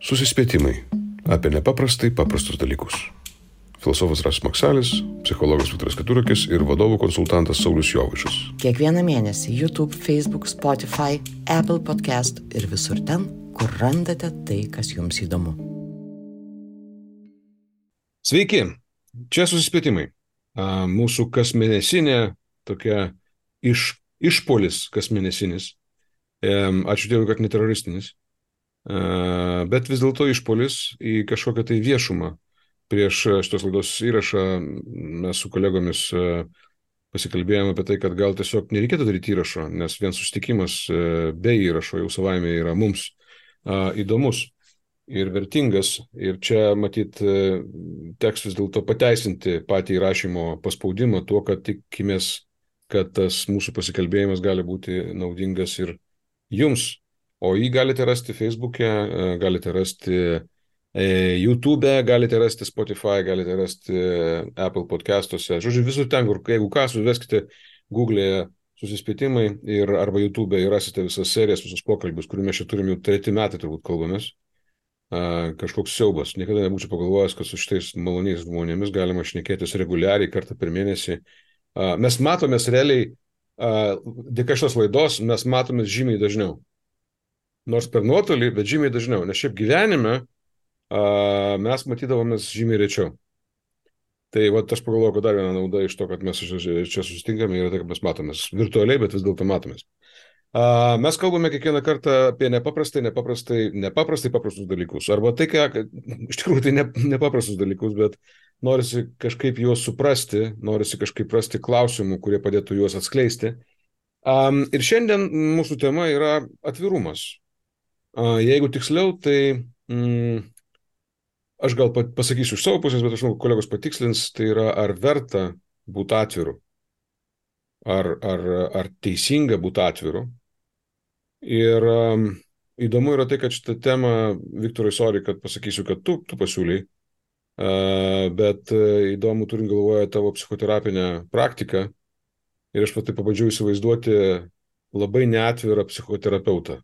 Susispėtimai apie nepaprastai paprastus dalykus. Filosofas Rasas Maksalis, psichologas Viktoras Keturakis ir vadovų konsultantas Saulius Jovaišas. Kiekvieną mėnesį YouTube, Facebook, Spotify, Apple Podcast ir visur ten, kur randate tai, kas jums įdomu. Sveiki, čia Susispėtimai. Mūsų kasmėnesinė tokia išpolis kasmėnesinis. Ačiū Dievui, kad neteroristinis. Bet vis dėlto išpolis į kažkokią tai viešumą. Prieš šitos laidos įrašą mes su kolegomis pasikalbėjome apie tai, kad gal tiesiog nereikėtų daryti įrašo, nes vien susitikimas be įrašo jau savaime yra mums įdomus ir vertingas. Ir čia matyt teks vis dėlto pateisinti patį įrašymo paspaudimą tuo, kad tikimės, kad tas mūsų pasikalbėjimas gali būti naudingas ir jums. O jį galite rasti Facebook'e, galite rasti YouTube, galite rasti Spotify, galite rasti Apple podcastuose. Žodžiu, visur ten, kur, jeigu ką, suveskite Google'e Susispėtimai ir arba YouTube ir rasite visas serijas, visus pokalbius, kurių mes čia turim jau 3 metai turbūt kalbamės. Kažkoks siaubas. Niekada nebūčiau pagalvojęs, kad su šitais maloniais žmonėmis galima šnekėtis reguliariai kartą per mėnesį. Mes matomės realiai, dėka šios laidos, mes matomės žymiai dažniau. Nors per nuotolį, bet žymiai dažniau, nes šiaip gyvenime mes matydavomės žymiai rečiau. Tai aš pagalvoju, kad dar viena nauda iš to, kad mes čia susitinkame, yra tai, kad mes matomės virtualiai, bet vis dėlto matomės. Mes kalbame kiekvieną kartą apie nepaprastai paprastus dalykus. Arba tai, iš tikrųjų tai nepaprastus dalykus, bet norisi kažkaip juos suprasti, norisi kažkaip rasti klausimų, kurie padėtų juos atskleisti. Ir šiandien mūsų tema yra atvirumas. Jeigu tiksliau, tai aš gal pasakysiu iš savo pusės, bet aš žinau, kolegos patikslins, tai yra ar verta būti atviru, ar teisinga būti atviru. Ir įdomu yra tai, kad šitą temą, Viktorai, sorry, kad pasakysiu, kad tu pasiūlei, bet įdomu turint galvoje tavo psichoterapinę praktiką ir aš tai pabandžiau įsivaizduoti labai neatvirą psichoterapeutą.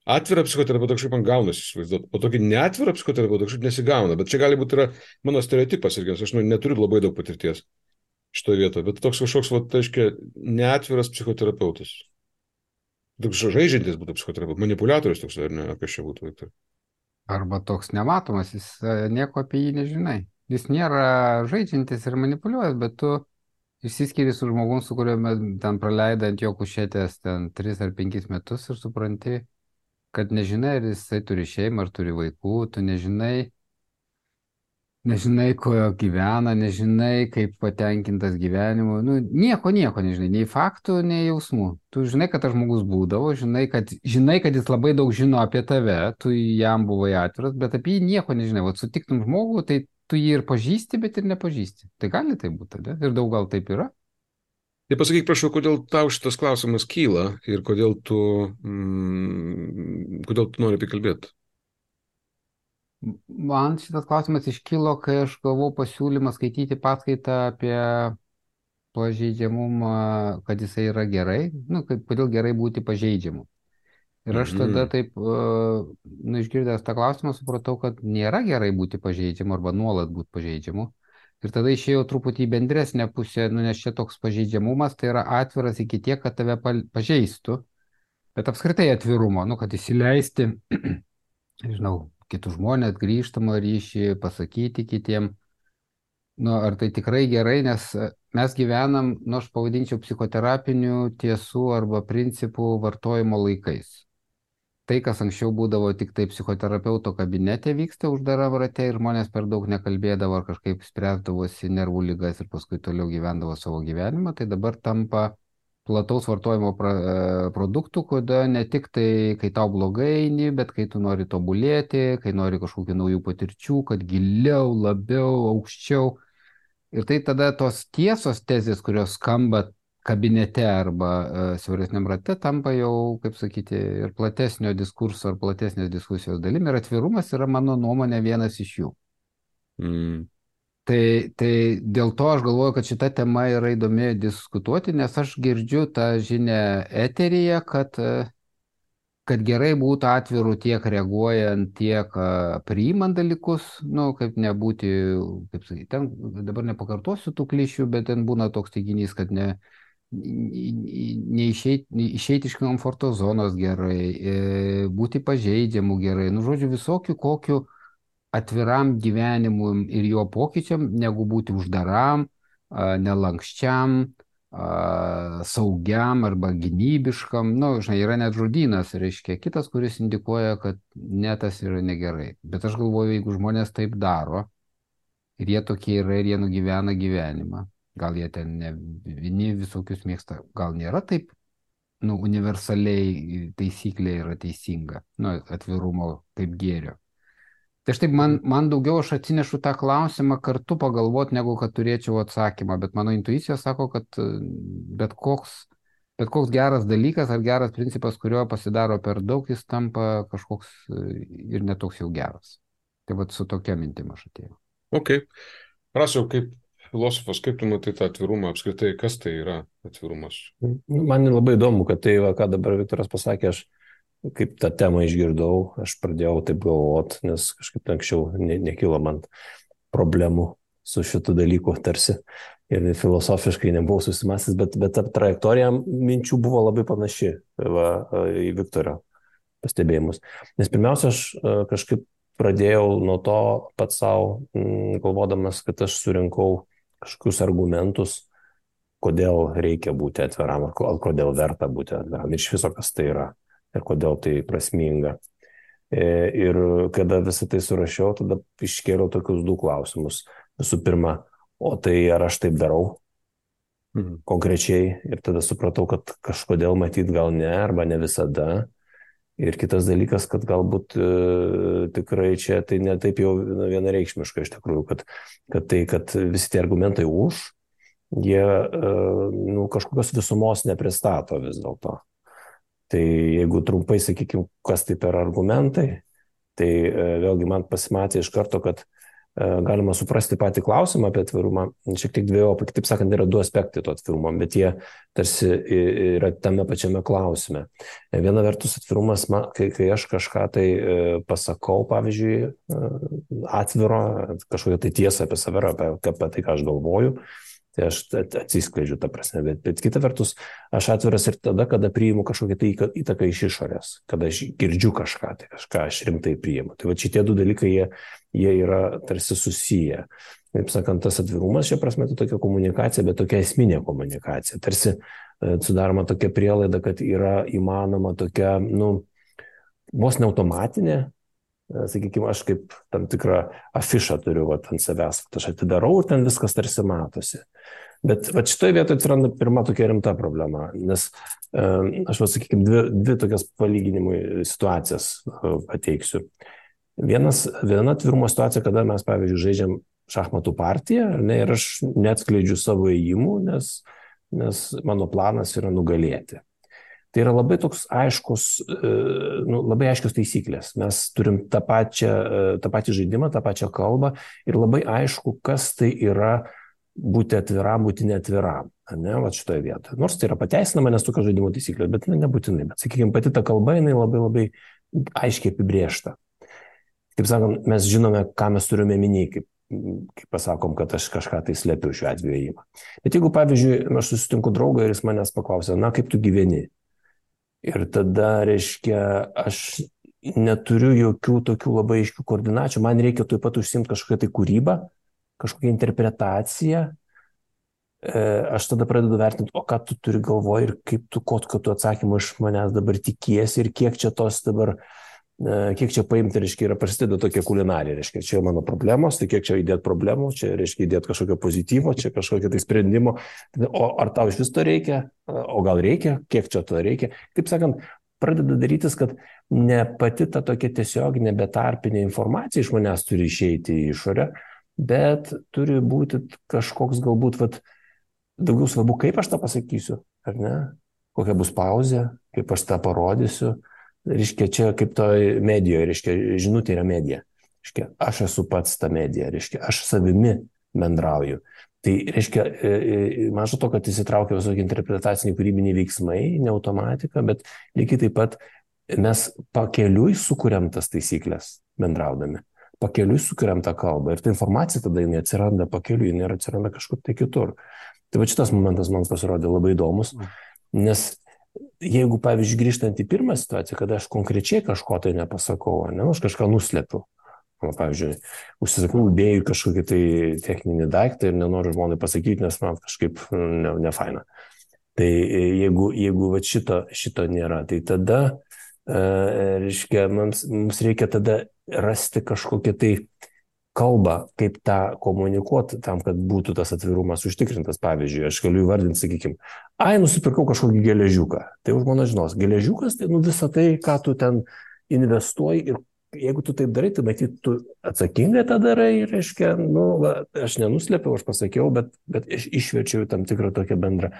Atvirą psichoterapeutą kažkaip man gaunasi įsivaizduoti, o tokį neatvirą psichoterapeutą kažkaip nesigauna, bet čia gali būti yra mano stereotipas irgi, aš neturiu labai daug patirties šitoje vietoje, bet toks kažkoks, reiškia, neatviras psichoterapeutas. Toks žaidžiantis būtų psichoterapeutas, manipuliatorius toks, ar ne, apie šia būtų, Viktor. Arba toks nematomas, jis nieko apie jį nežinai. Jis nėra žaidžiantis ir manipuliuojas, bet tu išsiskiri su žmogum, su kuriuo ten praleidai ant jo kušėtės 3 ar 5 metus ir supranti, kad nežinai, ar jisai turi šeimą, ar turi vaikų, tu nežinai, ko gyvena, nežinai, kaip patenkintas gyvenimu, nieko nežinai, nei faktų, nei jausmų. Tu žinai, kad tas žmogus būdavo, žinai, kad jis labai daug žino apie tave, tu jam buvai atviras, bet apie jį nieko nežinai. Sutiktum žmogų, tai tu jį ir pažįsti, bet ir nepažįsti. Tai gali tai būti, ne? Ir daug gal taip yra. Tai pasakyk, prašau, kodėl tau šitas klausimas kyla ir kodėl tu nori apie kalbėti? Man šitas klausimas iškilo, kai aš gavau pasiūlymą skaityti paskaitą apie pažeidžiamumą, kad jisai yra gerai, kodėl gerai būti pažeidžiamu. Ir aš tada taip, išgirdęs tą klausimą, supratau, kad nėra gerai būti pažeidžiamu arba nuolat būti pažeidžiamu. Ir tada išėjau truputį į bendresnę pusę, nes čia toks pažeidžiamumas, tai yra atviras iki tiek, kad tave pažeistų, bet apskritai atvirumo, kad įsileisti, kitus žmonės, grįžtamą ryšį, pasakyti kitiem, ar tai tikrai gerai, nes mes gyvenam, aš pavadinčiau psichoterapinių tiesų arba principų vartojimo laikais. Tai, kas anksčiau būdavo tik tai psichoterapeuto kabinete vyksta uždara rate ir žmonės per daug nekalbėdavo ar kažkaip spręsdavosi nervų ligas ir paskui toliau gyvendavo savo gyvenimą, tai dabar tampa plataus vartojimo produktų, kada ne tik tai, kai tau blogai eini, bet kai tu nori tobulėti, kai nori kažkokių naujų patirčių, kad giliau, labiau, aukščiau. Ir tai tada tos tiesos tezės, kurios skamba kabinete arba siauresniam rate, tampa jau, kaip sakyti, ir platesnio diskurso ar platesnės diskusijos dalimi. Ir atvirumas yra, mano nuomonė, vienas iš jų. Tai dėl to aš galvoju, kad šita tema yra įdomi diskutuoti, nes aš girdžiu tą žinią eteryje, kad kad gerai būtų atvirų tiek reaguojant, tiek priimant dalykus, nu, kaip nebūti, kaip sakyti, ten dabar nepakartosiu tų klišių, bet ten būna toks teiginys, kad išeiti iš komforto zonos gerai, būti pažeidžiamu gerai, nu, žodžiu, visokių kokių atviram gyvenimui ir jo pokyčiam, negu būti uždaram, nelankščiam, saugiam arba gynybiškam, nu, žinai, yra net žodynas, reiškia, kitas, kuris indikuoja, kad ne, tas yra negerai. Bet aš galvoju, jeigu žmonės taip daro, ir jie tokie yra, ir jie nugyvena gyvenimą, gal jie ten ne vieni visokius mėgsta, gal nėra taip, nu, universaliai taisyklė yra teisinga, nu, atvirumo kaip gėrio. Tai štai man daugiau aš atsinešu tą klausimą kartu pagalvoti, negu kad turėčiau atsakymą, bet mano intuicija sako, kad bet koks geras dalykas ar geras principas, kurio pasidaro per daug, jis tampa kažkoks ir netoks jau geras. Tai vat su tokia mintim aš atėjau. Ok. Rasiau, kaip filosofas, kaip tu matai tą atvirumą apskritai, kas tai yra atvirumas? Man labai įdomu, kad tai, ką dabar Viktoras pasakė, aš kaip tą temą išgirdau, aš pradėjau taip galvoti, nes kažkaip anksčiau nekilo man problemų su šitų dalykų tarsi ir filosofiškai nebuvau susimąstęs, bet ta trajektorija minčių buvo labai panaši į Viktorio pastebėjimus. Nes pirmiausia, aš kažkaip pradėjau nuo to pats savo, galvodamas, kad aš surinkau kažkokius argumentus, kodėl reikia būti atviram, ar kodėl verta būti atviram ir iš viso, kas tai yra. Ir kodėl tai prasminga. Ir kada visą tai surašiau, tada iškėliau tokius du klausimus. Visų pirma, o tai ar aš taip darau konkrečiai? Ir tada supratau, kad kažkodėl matyt gal ne, arba ne visada. Ir kitas dalykas, kad galbūt tikrai čia tai ne taip jau vienareikšmiška iš tikrųjų, kad visi tie argumentai už, jie kažkokios visumos nepristato vis dėlto. Tai jeigu trumpai sakykime, kas tai per argumentai, tai vėlgi man pasimatė iš karto, kad galima suprasti patį klausimą apie atvirumą, šiek tiek dviejopai, kitaip sakant, yra du aspektai to atvirumo, bet jie tarsi yra tame pačiame klausime. Viena vertus atvirumas, kai aš kažką tai pasakau, pavyzdžiui, atviro, kažkokią tai tiesą apie save, apie tai, ką aš galvoju, tai aš atsiskleidžiu tą prasme, bet kita vertus, aš atviras ir tada, kada priimu kažkokią tai įtaką iš išorės, kada aš girdžiu kažką, tai kažką aš rimtai priimu. Tai va šitie du dalykai, jie yra tarsi susiję. Taip sakant, tas atvirumas šia prasme tai tokia komunikacija, bet tokia esminė komunikacija. Tarsi sudaroma tokia prielaida, kad yra įmanoma tokia, vos ne automatinė, sakykime, aš kaip tam tikrą afišą turiu ant savęs, aš atidarau ir ten viskas tarsi matosi. Bet šitoje vietoje atsiranda pirma tokia rimta problema, nes aš, sakykime, dvi tokias palyginimui situacijas pateiksiu. Viena atvirumo situacija, kada mes, pavyzdžiui, žaidžiam šachmatų partiją, ir aš neatskleidžiu savo ėjimų, nes mano planas yra nugalėti. Tai yra labai toks aiškus, labai aiškios taisyklės. Mes turim tą patį žaidimą, tą pačią kalbą ir labai aišku, kas tai yra būti atviram, būti neatviram. Šitoje vietoje. Nors tai yra pateisinama, nes tokios žaidimo taisyklės, bet nebūtinai. Bet, sakykime, pati ta kalba, jinai labai aiškiai apibrėžta. Kaip sakom, mes žinome, ką mes turime minėti, kaip pasakom, kad aš kažką tai slepiu šiuo atveju ėjimą. Bet jeigu, pavyzdžiui, aš susitinku draugą ir jis manęs paklausia, kaip tu gyveni? Ir tada, reiškia, aš neturiu jokių tokių labai aiškių koordinačių, man reikia taip pat užsiimti kažkokią tai kūrybą, kažkokią interpretaciją. Aš tada pradedu vertinti, o ką tu turi galvoje ir ko tu atsakymą iš manęs dabar tikiesi ir kiek čia paimti, reiškia, yra prasideda tokia kulinarija, reiškia, čia mano problemos, tai kiek čia įdėti problemų, čia reiškia įdėti kažkokio pozityvo, čia kažkokio tai sprendimo, o ar tau iš vis to reikia, o gal reikia, kiek čia to reikia. Kaip sakant, pradeda darytis, kad ne pati ta tokia tiesioginė betarpinė informacija iš manęs turi išeiti į išorę, bet turi būti kažkoks galbūt, daugiau svarbu, kaip aš tą pasakysiu, ar ne, kokia bus pauzė, kaip aš tą parodysiu. Reiškia, čia kaip toj medijoje, reiškia, žinutė yra medija. Reiškia, aš esu pats ta medija, reiškia, aš savimi bendrauju. Tai reiškia, mažo to, kad įsitraukia visokie interpretaciniai kūrybiniai veiksmai, ne automatika, bet lygiai taip pat mes pakeliui sukuriam tas taisyklės bendraudami. Pakeliui sukuriam tą kalbą ir ta informacija tada jinai atsiranda pakeliui, jinai atsiranda kažkur tai kitur. Tai va šitas momentas man pasirodė labai įdomus, nes jeigu, pavyzdžiui, grįžtant į pirmą situaciją, kada aš konkrečiai kažko tai nepasakau, ne, aš kažką nuslepiu. Pavyzdžiui, užsisakau idėjų kažkokį tai techninį daiktą ir nenoriu žmonai pasakyti, nes man kažkaip nefaina. Tai jeigu va šito nėra, tai tada, reiškia, mums reikia tada rasti kažkokią tai kalbą, kaip tą komunikuoti tam, kad būtų tas atvirumas užtikrintas. Pavyzdžiui, aš galiu įvardinti, sakykime, nusipirkau kažkokį geležiuką. Tai už mano žinos, geležiukas, tai visą tai, ką tu ten investuoji ir jeigu tu taip darai, tai matyt, tu atsakingai tą darai, reiškia, aš nenuslėpiau, aš pasakiau, bet išverčiau tam tikrą tokią bendrą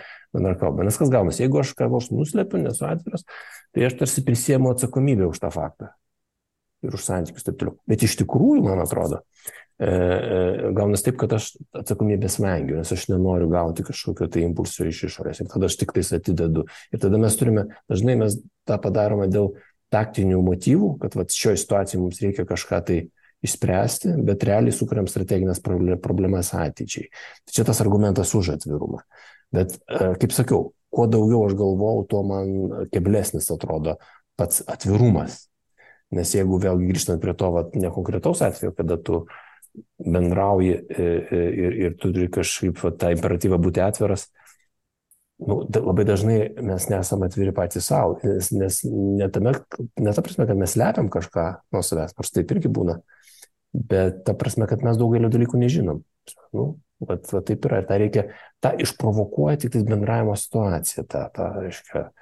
kalbą. Nes kas gaunasi, jeigu aš ką nors nuslėpiu, nesu atviras, tai aš tarsi prisiemu atsakomybę už tą faktą ir už santykius taip toliau. Bet iš tikrųjų, man atrodo, gaunasi taip, kad aš atsakomybės vengiu, nes aš nenoriu gauti kažkokio tai impulso iš išorės ir tada aš tik tais atidedu. Ir tada dažnai mes tą padarome dėl taktinių motyvų, kad šioje situacijoje mums reikia kažką tai išspręsti, bet realiai sukuriam strateginės problemas ateičiai. Tai čia tas argumentas už atvirumą. Bet, kaip sakiau, kuo daugiau aš galvojau, tuo man keblesnis atrodo pats atvirumas. Nes jeigu vėlgi grįžtant prie to nekonkretaus atveju, kada tu bendrauji ir tu turi kažkaip tą imperatyvą būti atviras, labai dažnai mes nesame atviri patys savo, nes ne ta prasme, kad mes slepiam kažką nuo savęs, nors taip irgi būna, bet ta prasme, kad mes daugelio dalykų nežinom. Taip yra, ir tą reikia, tą išprovokuoja tik bendravimo situaciją, reiškia,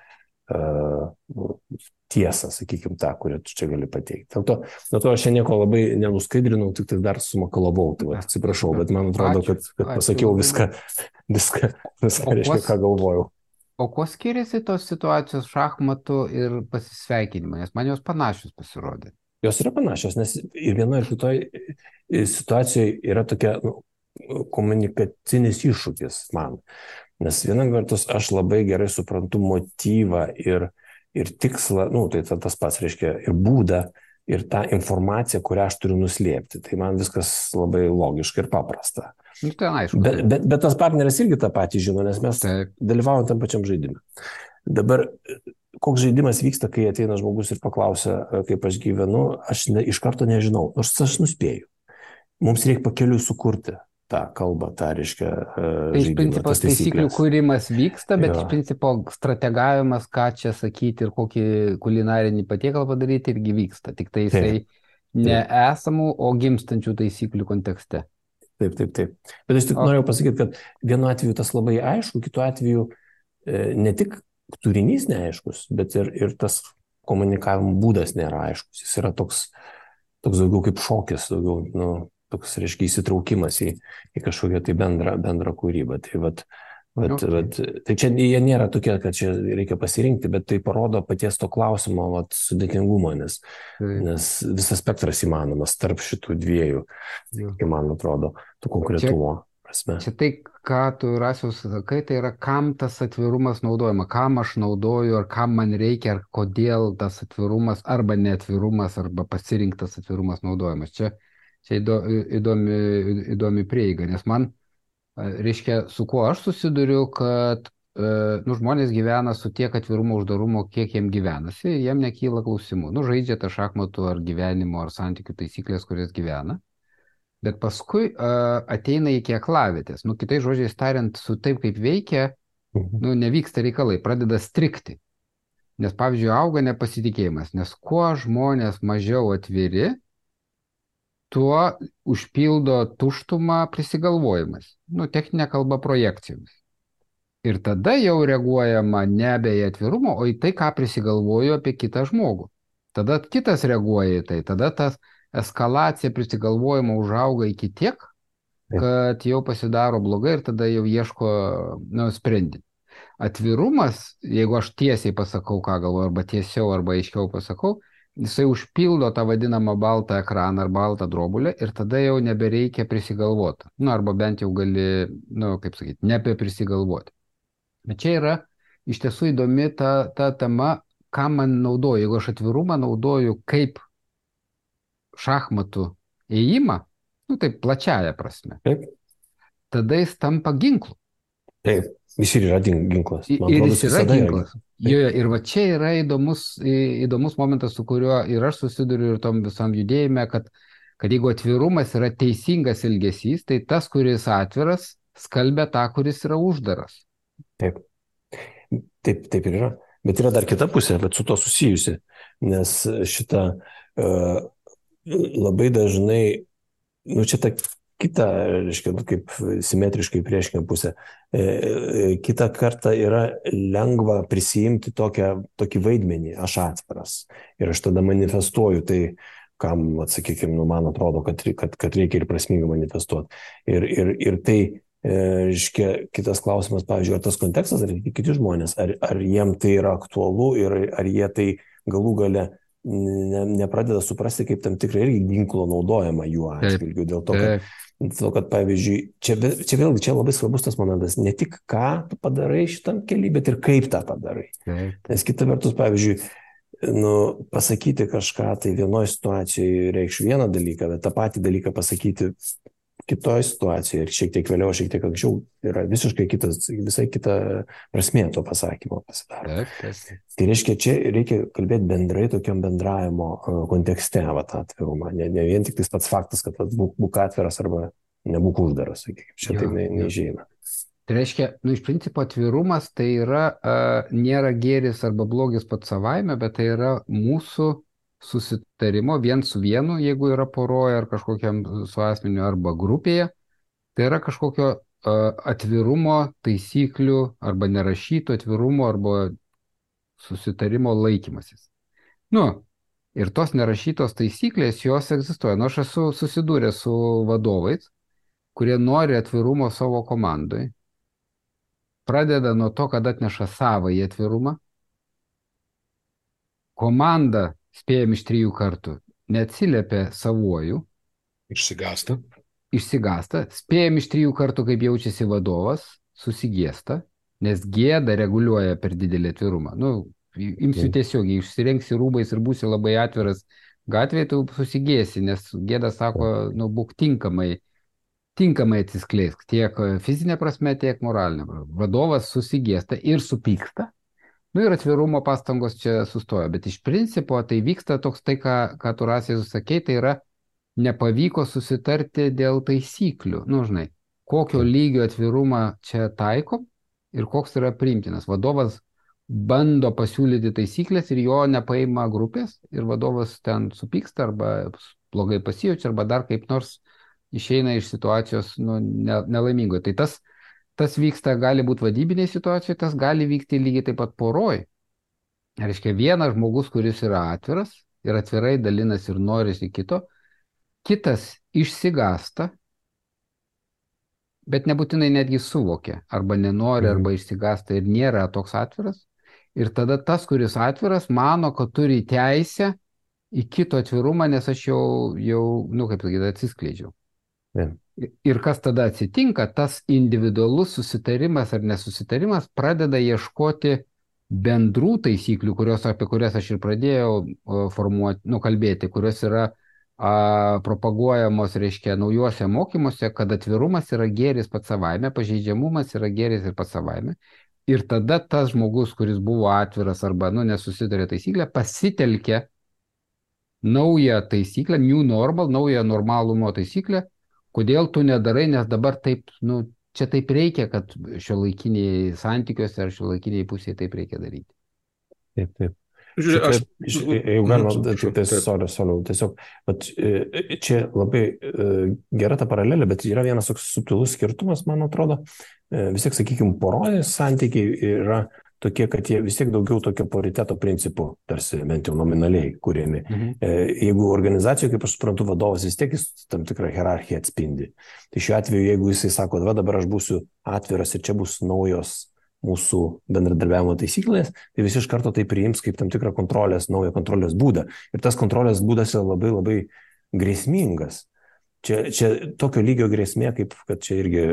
tiesą, sakykime, tą, kurią tu čia gali pateikti. Dėl to aš čia nieko labai nenuskaidrinau, tik tai dar sumakalavau, tai atsiprašau, bet man atrodo, kad pasakiau viską, reiškia, ką galvojau. O kuo skiriasi tos situacijos šachmatų ir pasisveikinimo, nes man jos panašios pasirodė? Jos yra panašios, nes ir vienoje ir kitoje situacijoje yra tokia komunikacinis iššūkis man. Nes vienam vertus aš labai gerai suprantu motyvą ir tikslą, tai tas pats reiškia ir būdą, ir tą informaciją, kurią aš turiu nuslėpti. Tai man viskas labai logiška ir paprasta. Bet tas partneris irgi tą patį žino, nes mes dalyvaujam tam pačiam žaidime. Dabar, koks žaidimas vyksta, kai ateina žmogus ir paklausia, kaip aš gyvenu, aš iš karto nežinau, nors aš nuspėju. Mums reikia pakeliui sukurti tą kalbą, tą reiškia žaidimą. Iš principo taisyklių kūrimas vyksta, bet iš principo strategavimas, ką čia sakyti ir kokį kulinarinį patiekalą padaryti, irgi vyksta. Tik tai jisai ne esamų, o gimstančių taisyklių kontekste. Taip. Bet aš tik norėjau pasakyti, kad vienu atveju tas labai aišku, kitu atveju ne tik turinys neaiškus, bet ir tas komunikavimo būdas nėra aiškus. Jis yra toks daugiau kaip šokis, daugiau, toks, reiškia, įsitraukimas į kažkokią tai bendrą kūrybą. Tai čia jie nėra tokie, kad čia reikia pasirinkti, bet tai parodo paties to klausimo sudėtingumą, nes visas spektras įmanomas tarp šitų dviejų, man atrodo, tų konkretumo prasme. Čia tai, ką tu, Rasius, sakai, tai yra, kam tas atvirumas naudojama, kam aš naudoju, ar kam man reikia, ar kodėl tas atvirumas, arba neatvirumas, arba pasirinktas atvirumas naudojamas. Čia įdomi prieiga, nes man, reiškia, su kuo aš susiduriu, kad žmonės gyvena su tiek atvirumo, uždarumo, kiek jiem gyvenasi, jiem nekyla klausimų. Žaidžia tą šachmatų ar gyvenimo, ar santykių taisyklės, kurias gyvena, bet paskui ateina iki aklavietės. Kitais žodžiais tariant, su taip kaip veikia, nevyksta reikalai, pradeda strikti. Nes, pavyzdžiui, auga nepasitikėjimas, nes kuo žmonės mažiau atviri, tuo užpildo tuštumą prisigalvojimas. Techninė kalba projekcijomis. Ir tada jau reaguojama nebe į atvirumą, o į tai, ką prisigalvoju apie kitą žmogų. Tada kitas reaguoja į tai. Tada tas eskalacija prisigalvojimo užauga iki tiek, kad jau pasidaro blogai ir tada jau ieško sprendimų. Atvirumas, jeigu aš tiesiai pasakau, ką galvoju, arba tiesiau, arba aiškiau pasakau, jisai užpildo tą vadinamą baltą ekraną ar baltą drobulę ir tada jau nebereikia prisigalvoti. Arba bent jau gali, kaip sakyti, nebeprisigalvoti. Bet čia yra iš tiesų įdomi ta tema, ką man naudoju. Jeigu aš atvirumą naudoju kaip šachmatų ėjimą, nu taip plačiaja prasme, Taip, tada jis tampa ginklu. taip. Jis ir yra ginklas. Man Ir atrodo, jis yra visada ginklas. Jo, ir va čia yra įdomus momentas, su kuriuo ir aš susiduriu ir tom visam judėjime, kad jeigu atvirumas yra teisingas elgesys, tai tas, kuris atviras, skalbia tą, kuris yra uždaras. Taip. Taip ir yra. Bet yra dar kita pusė, bet su to susijusi. Nes šitą labai dažnai, nu čia ta kita, reiškia, kaip simetriškai priešinga pusė. Kita kartą yra lengva prisijimti tokį vaidmenį, aš atviras. Ir aš tada manifestuoju tai, kam, atsakykime, man atrodo, kad reikia ir prasmingai manifestuoti. Ir tai, reiškia, kitas klausimas, pavyzdžiui, ar tas kontekstas, ar kiti žmonės, ar jiem tai yra aktualu ir ar jie tai galų gale nepradeda suprasti kaip tam tikrą irgi ginklo naudojimą jų atžvilgiu. Dėl to, kad pavyzdžiui, čia vėlgi čia labai svarbus tas momentas, ne tik ką tu padarai šitam kely, bet ir kaip tą padarai. Nes kita vertus, pavyzdžiui, pasakyti kažką, tai vienoje situacijoje reikš vieną dalyką, bet tą patį dalyką pasakyti kitoje situacijoje ir šiek tiek vėliau, šiek tiek anksčiau yra visai kita prasmė to pasakymo pasidaro. Tai reiškia, čia reikia kalbėti bendrai tokiam bendravimo kontekste, tą atvirumą. Ne vien tik tas pats faktas, kad būk atviras arba nebūk uždaras, sakykime, čia tai neišeina. Tai reiškia, iš principo atvirumas tai yra, nėra gėris arba blogis pats savaime, bet tai yra mūsų susitarimo vien su vienu, jeigu yra poroje ar kažkokiam su asmeniu arba grupėje, tai yra kažkokio atvirumo taisyklių arba nerašyto atvirumo arba susitarimo laikymasis. Ir tos nerašytos taisyklės, jos egzistuoja. Aš esu susidūręs su vadovais, kurie nori atvirumo savo komandai, pradeda nuo to, kad atneša savąjį atvirumą, komanda spėjam iš 3 kartų, neatsiliepia savuoju. Išsigąsta, spėjam iš 3 kartų, kaip jaučiasi vadovas, susigėsta, nes gėda reguliuoja per didelį atvirumą. Imsiu tiesiogiai, išsirengsi rūbais ir būsi labai atviras gatvėje, tu susigėsi, nes gėda sako, būk tinkamai atsiskleisk, tiek fizinė prasme, tiek moralinė prasme. Vadovas susigėsta ir supyksta. Ir atvirumo pastangos čia sustoja, bet iš principo tai vyksta toks tai, ką tu Rasiai susakei, tai yra nepavyko susitarti dėl taisyklių. Žinai, kokio lygio atvirumą čia taikom ir koks yra priimtinas. Vadovas bando pasiūlyti taisyklės ir jo nepaima grupės ir vadovas ten supyksta arba blogai pasijaučia arba dar kaip nors išeina iš situacijos nelaimingo. Tai tas vyksta, gali būti vadybiniai situacijai, tas gali vykti lygiai taip pat poroj. Reiškia, vienas žmogus, kuris yra atviras ir atvirai dalinasi ir norisi kito, kitas išsigąsta, bet nebūtinai netgi suvokia, arba nenori, arba išsigąsta ir nėra toks atviras. Ir tada tas, kuris atviras, mano, kad turi teisę į kito atvirumą, nes aš jau kaip sakyti, atsiskleidžiau. Ir kas tada atsitinka, tas individualus susitarimas ar nesusitarimas pradeda ieškoti bendrų taisyklių, apie kurias aš ir pradėjau kalbėti, kurios yra propaguojamos, reiškia, naujuose mokymuose, kad atvirumas yra gėris pats savaime, pažeidžiamumas yra gėris ir pats savaime. Ir tada tas žmogus, kuris buvo atviras arba nesusitarė taisyklę, pasitelkia naują taisyklę, new normal, naują normalumo taisyklę. Kodėl tu nedarai, nes dabar taip, čia taip reikia, kad šiuolaikiniai santykiuose ar šiuolaikiniai pusėje taip reikia daryti. Taip. Jeigu galima, tiesiog, čia labai gera ta paralelė, bet yra vienas toks subtilus skirtumas, man atrodo, vis tiek, sakykime, poros santykiai yra tokie, kad jie vis tiek daugiau tokio pariteto principų, tarsi bent jau nominaliai kūrėmi. Jeigu organizacijoje, kaip aš suprantu, vadovas vis tiek jis tam tikrą hierarchiją atspindi. Tai šiuo atveju, jeigu jisai sako, dabar aš būsiu atviras ir čia bus naujos mūsų bendradarbiavimo taisyklės, tai visi iš karto tai priims kaip tam tikrą naują kontrolės būdą. Ir tas kontrolės būdas yra labai, labai grėsmingas. Čia tokio lygio grėsmė, kaip kad čia irgi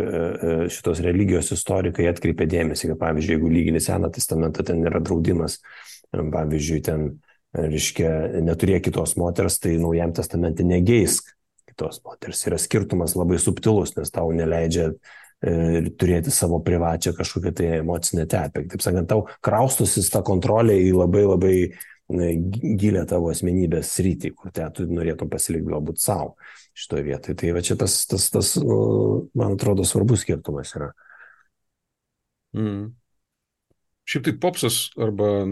šitos religijos istorikai atkreipė dėmesį, kad pavyzdžiui, jeigu lygini Seną testamentą, ten yra draudimas pavyzdžiui, ten, reiškia, neturėjo kitos moters, tai Naujam testamente negeisk kitos moters. Yra skirtumas labai subtilus, nes tau neleidžia turėti savo privačią kažkokią tai emocinę terpę. Taip sakant, tau kraustusis tą kontrolę į labai labai gilę tavo asmenybės sritį, kur tu norėtum pasilikti galbūt savo šitoje vietoje. Tai va čia tas, man atrodo, svarbus skirtumas yra. Šiaip tai popsas arba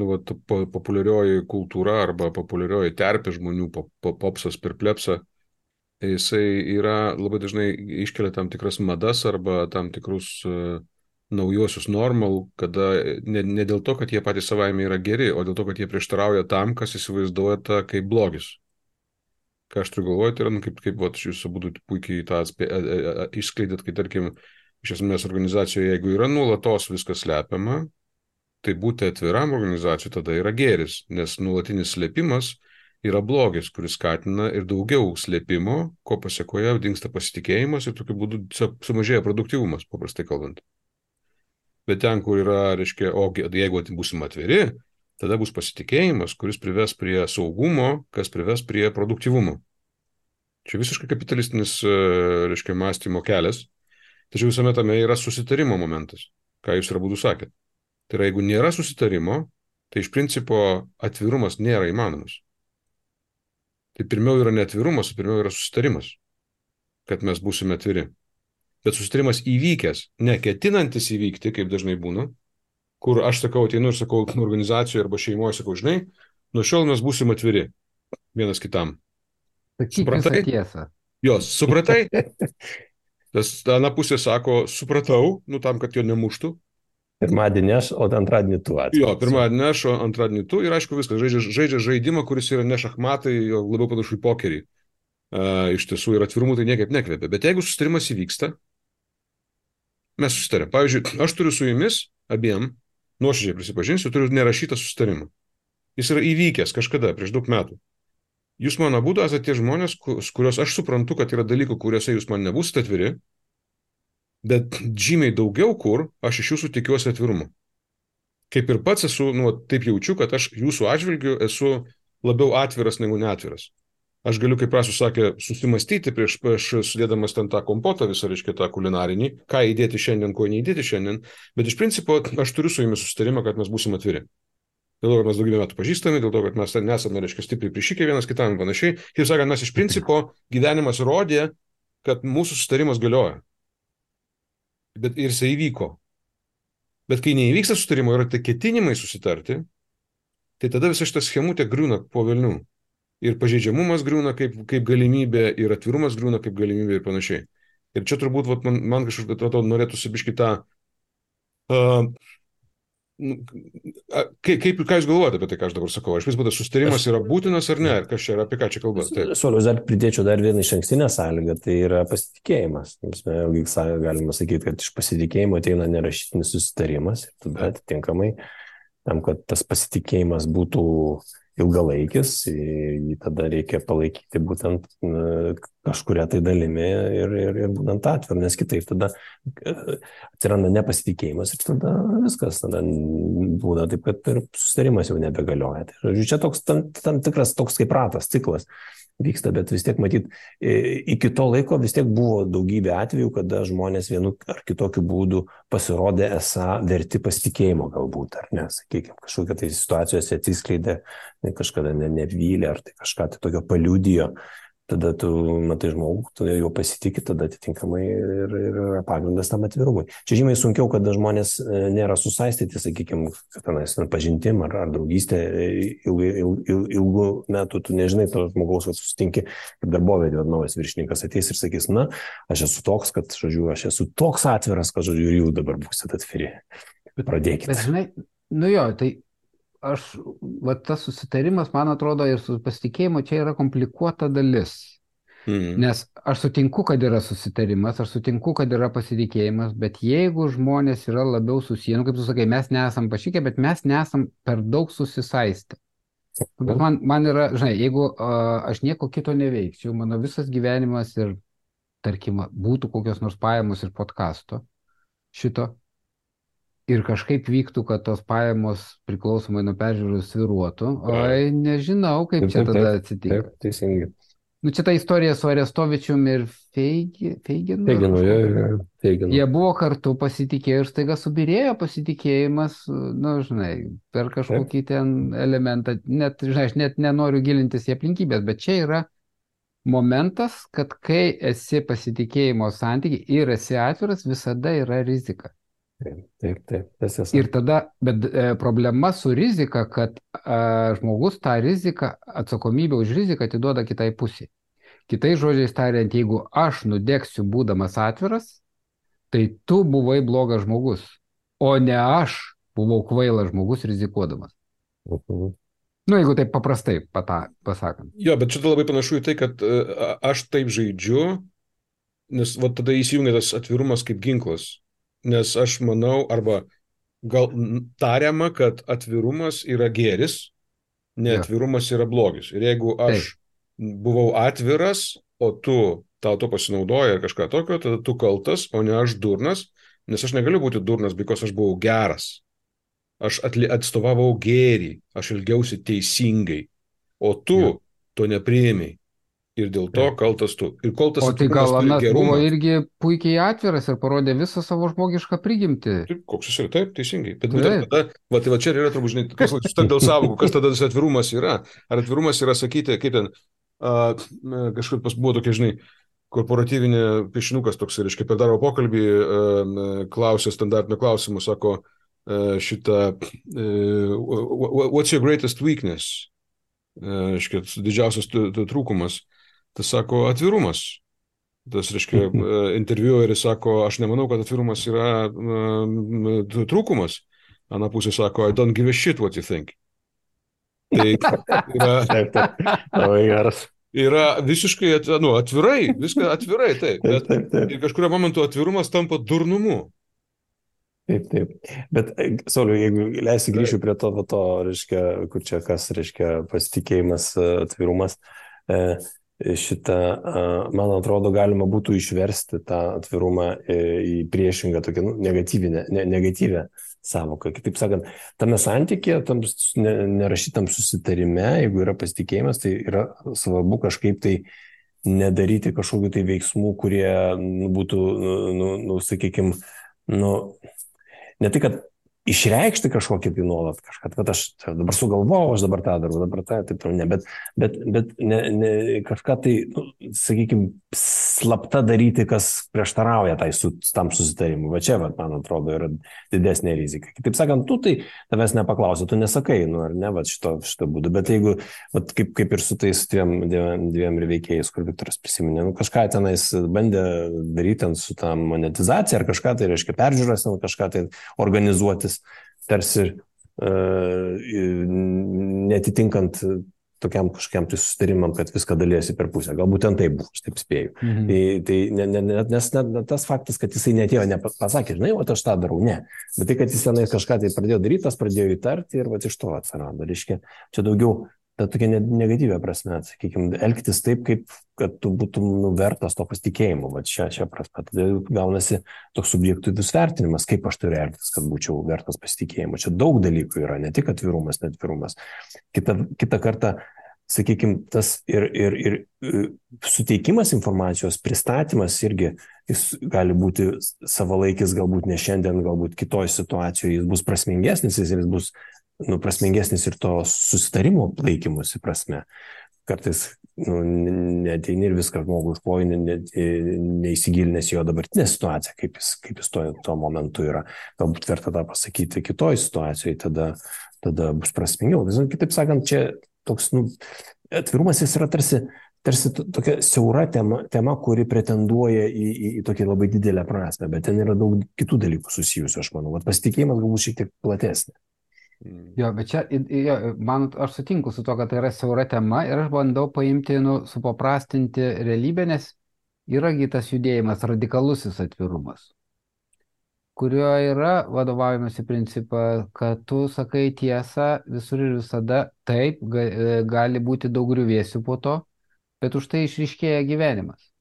populiarioji kultūra arba populiarioji terpė žmonių, popsas per plebsą, jisai yra labai dažnai iškelia tam tikras madas arba tam tikrus naujosius normal, kada ne dėl to, kad jie patys savaime yra geri, o dėl to, kad jie prieštarauja tam, kas įsivaizduoja tą kaip blogis. Ką aš turiu galvoje, tai yra, kaip jūs abu puikiai tą išskleidėt, kai tarkim, iš esmės organizacijoje, jeigu yra nuolatos viskas slepiama, tai būti atviram organizacijai tada yra gėris, nes nuolatinis slėpimas yra blogis, kuris skatina ir daugiau slėpimo, ko pasiekoje dingsta pasitikėjimas ir tokiu būdu sumažėja produktyvumas, paprastai kalbant. Bet ten, kur yra, reiškia, jeigu būsim atviri, tada bus pasitikėjimas, kuris prives prie saugumo, kas prives prie produktyvumo. Čia visiškai kapitalistinis, reiškia, mąstymo kelias, tačiau visame tame yra susitarimo momentas, ką jūs ir abudu sakėt. Tai yra, jeigu nėra susitarimo, tai iš principo atvirumas nėra įmanomas. Tai pirmiau yra neatvirumas, o pirmiau yra susitarimas, kad mes būsime atviri. Bet susitarimas įvykęs, neketinantis įvykti, kaip dažnai būna, kur aš sakau, ateinu ir sakau organizacijoje arba šeimoje, sakau, žinai, nuo šiol mes būsim atviri vienas kitam. Supratai? Tiesą. Jos, supratai? Tas ana pusė sako, supratau, tam, kad jo nemuštų. Pirmadienį aš, o antradienį tu atveju. Jo, pirmadienį aš, o antradienį tu ir aišku viskas, žaidžia žaidimą, kuris yra ne šachmatai, jo labiau panašu į pokerį. Iš tiesų ir atvirumų tai niekaip nekvepia. Bet jeigu susitarimas įvyksta, mes susitarėm. Pavyzdžiui, aš turiu su jumis abiem, nuoširdžiai prisipažinsiu, turiu nerašytą susitarimą. Jis yra įvykęs kažkada, prieš daug metų. Jūs man abudu esate tie žmonės, kuriuos aš suprantu, kad yra dalykų, kuriuose jūs man nebūsite atviri, bet žymiai daugiau kur aš iš jūsų tikiuosi atvirumo. Kaip ir pats esu, taip jaučiu, kad aš jūsų atžvilgiu esu labiau atviras negu neatviras. Aš galiu, kaip Rasus sakė, susimastyti prieš sudėdamas ten tą kompotą visą, reiškia, tą kulinarinį, ką įdėti šiandien, ko neįdėti šiandien, bet iš principo aš turiu su jumis susitarimą, kad mes būsim atviri. Dėl to, kad mes daugybę metų pažįstami, dėl to, kad mes nesame, reiškia, stipriai prišikę vienas kitam ir panašiai. Kaip sakant, mes iš principo gyvenimas rodė, kad mūsų susitarimas galioja. Bet ir jisai įvyko. Bet kai neįvyksta susitarimo, yra tai ketinimai susitarti, tai tada visa šita schemutė griūna po velnių. Ir pažeidžiamumas griūna kaip galimybė, ir atvirumas griūna kaip galimybė ir panašiai. Ir čia turbūt man kažkaip atrodo norėtųsi biškį tą... Ką jūs galvojate apie tai, ką aš dabar sakau? Aš vis būtų susitarimas yra būtinas ar ne? Ir kas čia yra, apie ką čia kalba? Saulius, dar pridėčiau dar vieną išankstinę sąlygą, tai yra pasitikėjimas. Vėlgi galima sakyti, kad iš pasitikėjimo ateina nerašytinis susitarimas. Ir tada atitinkamai, tam, kad tas pasitikėjimas būtų ilgalaikis, jį tada reikia palaikyti būtent kažkuria tai dalimi ir būtent atviru, nes kitaip tada atsiranda nepasitikėjimas ir tada viskas, tada būna taip, kad ir susitarimas jau nebegalioja. Tai, žodžiu, čia toks tam tikras toks kaip ratas, ciklas vyksta, bet vis tiek matyt, iki to laiko vis tiek buvo daugybė atvejų, kada žmonės vienu ar kitokiu būdu pasirodė esą verti pasitikėjimo galbūt, ar ne, sakykime, kažkokia tai situacijose atsiskleidė, kažkada nevylė, ar tai kažką tai tokio paliudijo, tada tu matai žmogų, tu jo pasitikė, tada atitinkamai ir yra pagrindas tam atvirumui. Čia žymiai sunkiau, kada žmonės nėra susaistyti, sakykime, pažintim ar draugystė ilgų metų, tu nežinai to žmogaus, kad susitinki, kaip darbovietė, naujas viršininkas ateis ir sakys, na, aš esu toks, kad, žodžiu, aš esu toks atviras, kad, žodžiu, ir jūs dabar būsite atviri. Pradėkite. Bet žinai, tai tas susitarimas, man atrodo, ir su pasitikėjimu čia yra komplikuota dalis. Nes aš sutinku, kad yra susitarimas, aš sutinku, kad yra pasitikėjimas, bet jeigu žmonės yra labiau susiję, kaip tu sakai, mes nesam pašikę, bet mes nesam per daug susisaistę. Bet man yra, žinai, jeigu aš nieko kito neveikčiau, mano visas gyvenimas ir, tarkim, būtų kokios nors pajamos ir podcasto šito, ir kažkaip vyktų, kad tos pajamos priklausomai nuo peržiūrų sviruotų, oi, nežinau, kaip Taip, čia taip, tada taip, atsitinka. taip, teisingai. Nu, čia ta istorija su Arestovičium ir Feiginu. Teiginu, teiginu. Jie buvo kartu, pasitikėjo ir staiga subirėjo pasitikėjimas, nu, žinai, per kažkokį ten elementą, net, žinai, aš net nenoriu gilintis į aplinkybės, bet čia yra momentas, kad kai esi pasitikėjimo santykiai ir esi atviras, visada yra rizika. Taip, tiesa. Ir tada, bet problema su rizika, kad žmogus tą riziką, atsakomybę už riziką atiduoda kitai pusiai. Kitai žodžiais tariant, jeigu aš nudegsiu būdamas atviras, tai tu buvai blogas žmogus, o ne aš buvau kvailas žmogus rizikuodamas. Nu, jeigu taip paprastai pasakant. Jo, bet čia labai panašu į tai, kad aš taip žaidžiu, nes va, tada įsijungia tas atvirumas kaip ginklas. Nes aš manau, arba gal tariama, kad atvirumas yra gėris, neatvirumas yra blogis. Ir jeigu aš buvau atviras, o tu tau to pasinaudoji ar kažką tokio, tada tu kaltas, o ne aš durnas, nes aš negaliu būti durnas, because aš buvau geras. Aš atstovavau gėrį, aš elgiausi teisingai, o tu to nepriėmei. Ir dėl to kaltas tu. Ir kol tas o tai gal turi Anas gerumą, buvo irgi puikiai atviras ir parodė visą savo žmogišką prigimtį. Taip, koks jis yra, taip, teisingai. Bet būtent tada, tai va čia ir yra turbūt, žinai, kas sustar dėl savokų, kas tada tas atvirumas yra. Ar atvirumas yra sakyti, kaip ten, kažkaip pas buvo tokia, žinai, korporatyvinė piešinukas toks, reiškia, per darbo pokalbį klausė standartinio klausimų, sako šitą, what's your greatest weakness? Reiškia, didžiausias trūkumas. Tas sako atvirumas. Tas, reiškia, interviueris sako, aš nemanau, kad atvirumas yra trūkumas. Ana pusė sako, I don't give a shit what you think. Tai yra, labai geras. Yra visiškai atvirai, viską atvirai, taip. Bet ir kažkurio momentu atvirumas tampa durnumu. Taip. Bet, Sauliau, jeigu leisi grįšiu prie to, reiškia, kur čia kas, reiškia, pasitikėjimas, atvirumas, man atrodo, galima būtų išversti tą atvirumą į priešingą, tokią negatyvę sąvoką. Kitaip sakant, tame santykėje, tam nerašytam susitarime, jeigu yra pasitikėjimas, tai yra svarbu kažkaip tai nedaryti kažkokių tai veiksmų, kurie būtų, sakykime, ne tai, kad išreikšti kažkokį tai nuolat kažką, kad aš dabar sugalvojau, aš dabar tą darau, dabar tą, taip toliau, bet ne kažką tai, sakykime, slapta daryti, kas prieštarauja tam susitarimui. Va čia, man atrodo, yra didesnė rizika. Kitaip sakant, tu tai tavęs nepaklausi, tu nesakai, ar ne, va šito būdu, bet jeigu, kaip ir su tais dviem veikėjais, kur Viktoras prisiminė, kažką tenais bandė daryti su tą monetizaciją ar kažką, tai reiškia peržiūras, kažką tai organizuotis, tarsi netitinkant tokiam kažkokiam tai susitarimam, kad viską daliesi per pusę. Galbūt ten taip buvo, aš taip spėju. Nes tas faktas, kad jisai netėjo, nepasakė, žinai, o aš tą darau, ne. Bet tai, kad jis tenai kažką tai pradėjo daryti, tas pradėjo įtarti ir iš to atsirado. Reiškia, čia daugiau ta tokia negatyvia prasme, sakykime, elgtis taip, kaip kad tu būtum vertas to pasitikėjimo. Va čia prasme. Tada gaunasi toks subjektyvus vertinimas, kaip aš turiu elgtis, kad būčiau vertas pasitikėjimo. Čia daug dalykų yra, ne tik atvirumas, netvirumas. Kita kartą, sakykime, tas ir suteikimas informacijos, pristatymas irgi, jis gali būti savalaikis, galbūt ne šiandien, galbūt kitoj situacijoje jis bus prasmingesnis, jis bus prasmingesnis ir to susitarimo laikymosi prasme. Kartais neateini ir viską žmogų užploji, neįsigilinęs jo dabartinę situaciją, kaip jis tuo momentu yra. Galbūt verta tą pasakyti kitoj situacijoje, tada bus prasmingiau. Kitaip sakant, čia toks atvirumas jis yra tarsi tokia siaura tema, kuri pretenduoja į tokią labai didelę prasmę, bet ten yra daug kitų dalykų susijusių, aš manau. Pasitikėjimas galbūt šiek tiek platesnė. Jo, bet čia, aš sutinku su to, kad tai yra siaura tema ir aš bandau paimti, supaprastinti realybę, nes yragi tas judėjimas, radikalusis atvirumas, kurio yra vadovaujamasi principą, kad tu sakai tiesą visur ir visada, taip, gali būti daug griuvėsių po to, bet už tai išryškėja gyvenimas.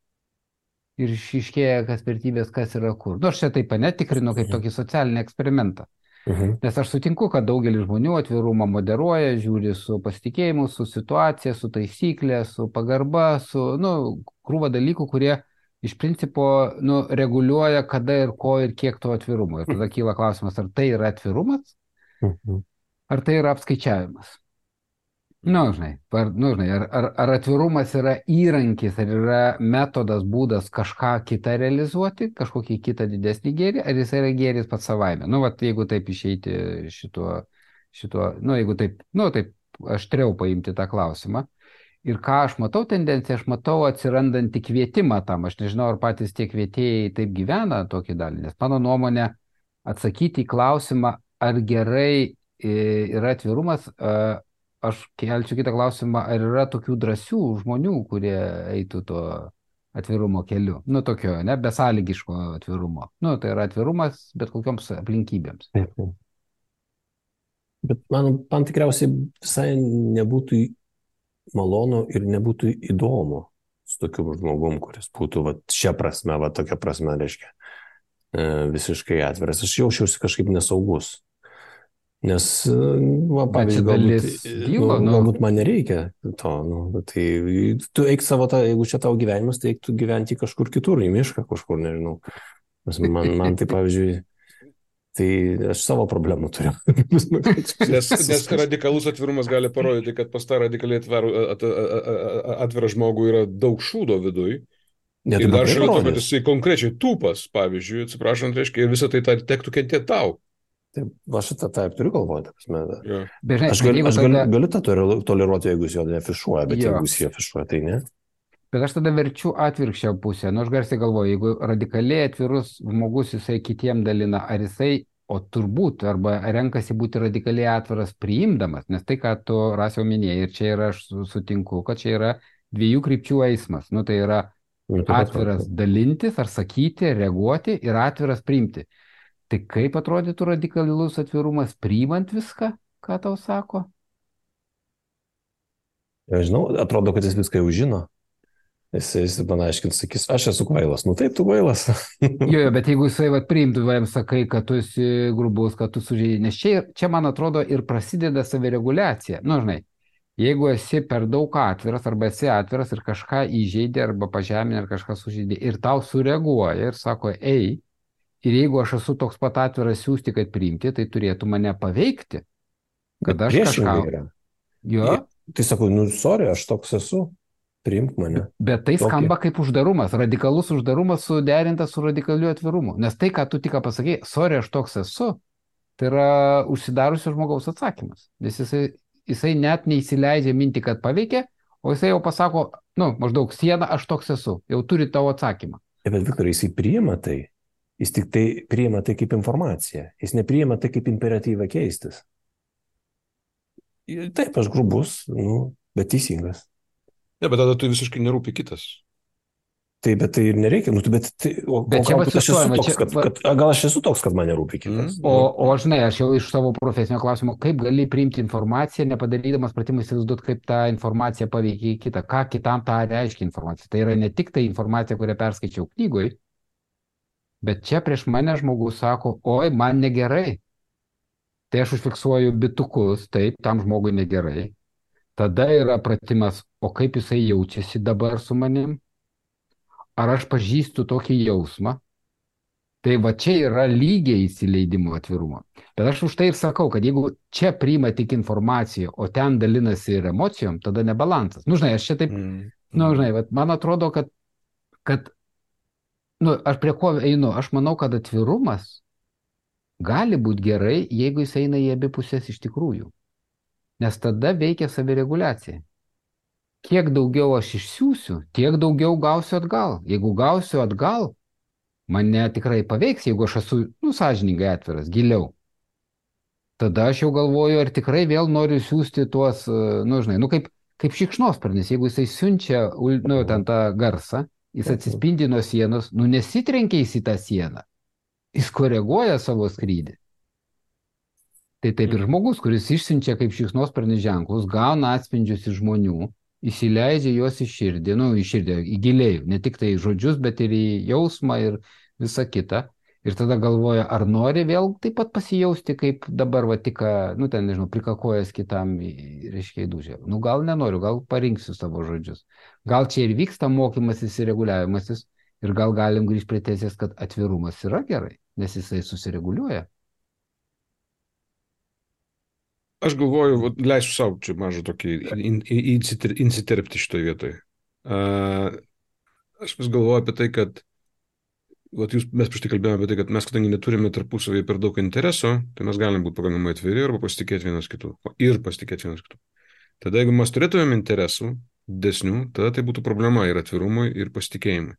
Ir išryškėja, kas vertybės, kas yra kur. Aš čia taip netikrinu kaip tokį socialinį eksperimentą. Nes aš sutinku, kad daugelis žmonių atvirumą moderuoja, žiūri su pasitikėjimu, su situacija, su taisyklė, su pagarba, su, krūva dalykų, kurie iš principo, reguliuoja kada ir ko ir kiek to atvirumo. Ir tada kyla klausimas, ar tai yra atvirumas, ar tai yra apskaičiavimas. Ar atvirumas yra įrankis, ar yra metodas, būdas kažką kitą realizuoti, kažkokį kitą didesnį gėrį, ar jis yra gėris pats savaime. Jeigu taip išeiti jeigu taip aštriau paimti tą klausimą. Ir ką aš matau tendenciją, aš matau atsirandantį kvietimą tam. Aš nežinau, ar patys tie kvietėjai taip gyvena tokį dalį, nes mano nuomonė atsakyti į klausimą, ar gerai yra atvirumas, aš kelčiau kitą klausimą, ar yra tokių drąsių žmonių, kurie eitų to atvirumo keliu. Tokio, besąlygiško atvirumo. Tai yra atvirumas bet kokioms aplinkybėms. Bet man tikriausiai visai nebūtų malonu ir nebūtų įdomu su tokiu žmogum, kuris būtų šią prasme, tokia prasme, reiškia, visiškai atviras. Aš jaučiausi kažkaip nesaugus. Nes, pavyzdžiui, galbūt man nereikia to, tai tu eik savo jeigu čia tavo gyvenimas, tai eik tu gyventi kažkur kitur, į mišką kažkur, nežinau. Man tai, pavyzdžiui, tai aš savo problemų turiu. Nes radikalus atvirumas gali parodyti, kad pas tą radikaliai atvirą žmogų yra daug šūdo viduj. Ir dar šalia to, kad jisai konkrečiai tūpas, pavyzdžiui, atsiprašant, reiškia, ir visą tai tektų kentėti tau. Taip, aš taip turiu galvoti. Yeah. Aš galiu tą toleruoti, jeigu jis jo neafišuoja, bet jeigu jis jį afišuoja, tai ne. Bet aš tada verčiu atvirkščią pusę. Aš garsiai galvoju, jeigu radikaliai atvirus žmogus jisai kitiem dalina, ar jisai, o turbūt, arba renkasi būti radikaliai atviras priimdamas, nes tai, ką tu Rasiau minėjai, ir čia yra, aš sutinku, kad čia yra dviejų krypčių eismas. Tai yra atviras dalintis, ar sakyti, reaguoti, ir atviras priimti. Tai kaip atrodytų radikalus atvirumas priimant viską, ką tau sako? Žinau, atrodo, kad jis viską jau žino. Jis man aiškins, sakys, aš esu kvailas. Taip, tu kvailas. Jo, bet jeigu jisai priimtų, jam sakai, kad tu esi grubus, kad tu sužeidži, nes čia, man atrodo, ir prasideda savireguliacija. Jeigu esi per daug atviras, arba esi atviras ir kažką įžeidė, arba pažeminė, ar kažką sužeidė, ir tau sureaguoja ir sako, ei, ir jeigu aš esu toks pat atviras siūsti, kad priimti, tai turėtų mane paveikti. Kad aš kažką... Jo? Tai sakau, sorry, aš toks esu, priimk mane. Bet tai skamba kaip uždarumas, radikalus uždarumas suderintas su radikaliu atvirumu. Nes tai, ką tu tik pasakei, sorry, aš toks esu, tai yra užsidarusio žmogaus atsakymas. Nes jisai net neįsileidžia mintį, kad paveikia, o jisai jau pasako, maždaug siena, aš toks esu, jau turi tavo atsakymą. Bet Viktorai, jisai priima tai. Jis tik tai priima tai kaip informaciją. Jis nepriima tai kaip imperatyvą keistis. Taip, aš grubus, bet teisingas. Ne, bet tada tu visiškai nerūpi kitas. Taip, bet tai ir nereikia. Gal aš esu toks, kad man nerūpi kitas. O žinai, aš jau iš savo profesinio klausimo, kaip gali priimti informaciją, nepadarydamas pratimą įsivaizduoti, kaip ta informacija paveikia kitą. Ką kitam tą reiškia informacija. Tai yra ne tik tai informacija, kurią perskaičiau knygoj, bet čia prieš mane žmogus sako, oi, man negerai. Tai aš užfiksuoju bitukus, taip, tam žmogui negerai. Tada yra pratimas, o kaip jisai jaučiasi dabar su manim? Ar aš pažįstu tokį jausmą? Tai čia yra lygiai įsileidimo atvirumo. Bet aš už tai ir sakau, kad jeigu čia priima tik informaciją, o ten dalinasi ir emocijom, tada nebalansas. Aš čia taip, man atrodo, kad aš prie ko einu? Aš manau, kad atvirumas gali būti gerai, jeigu jis eina į abi pusės iš tikrųjų. Nes tada veikia savireguliacija. Kiek daugiau aš išsiųsiu, tiek daugiau gausiu atgal. Jeigu gausiu atgal, mane tikrai paveiks, jeigu aš esu, sąžiningai atviras, giliau. Tada aš jau galvoju, ar tikrai vėl noriu siųsti tuos, kaip šikšnosparnis. Jeigu jisai siunčia, ten tą garsą, jis atsispindi nuo sienos, nesitrenkia į tą sieną. Jis koreguoja savo skrydį. Tai taip ir žmogus, kuris išsiunčia kaip šikšnosparnis ženklus, gauna atspindžius iš žmonių, įsileidžia juos į širdį, į giliai, ne tik tai žodžius, bet ir į jausmą ir visą kitą. Ir tada galvoja, ar nori vėl taip pat pasijausti, kaip dabar, va, tik, nu, ten, nežinau, prikakojęs kitam, reiškia, įdūžė. Nu, gal nenoriu, gal parinksiu savo žodžius. Gal čia ir vyksta mokymasis ir reguliavimasis, ir gal galim grįžti prie tezės, kad atvirumas yra gerai, nes jisai susireguliuoja. Aš galvoju, leisiu savo čia mažą tokį insiterpti šitoje vietoje. Aš vis galvoju apie tai, kad mes prieš tai kalbėjome apie tai, kad mes, kadangi neturime tarpusavėje per daug interesų, tai mes galim būti pakankamai atviri arba pasitikėti vienas kitų. Ir pasitikėti vienas kitų. Tada jeigu mes turėtumėm interesų didesnių, tada tai būtų problema ir atvirumui, ir pasitikėjimui.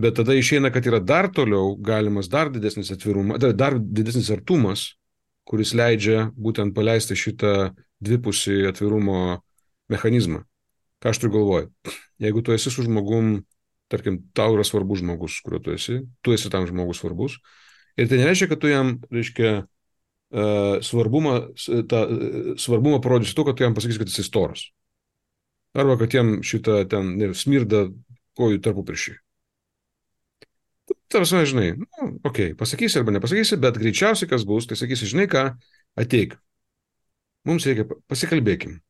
Bet tada išeina, kad yra dar toliau galimas dar didesnis atvirumas, dar didesnis artumas, kuris leidžia būtent paleisti šitą dvipusį atvirumo mechanizmą. Ką aš turiu galvoje? Jeigu tu esi su žmogum, tarkim, tau yra svarbus žmogus, kuriuo tu esi tam žmogus svarbus, ir tai nereiškia, kad tu jam, reiškia, svarbumą parodysi to, kad tu jam pasakysi, kad jis storas. Arba kad jam šitą ten smirda kojų tarpupriešį. Tarsi, žinai, pasakysi arba nepasakysi, bet greičiausiai kas bus, tai sakysi, žinai ką, ateik. Mums reikia, pasikalbėkim.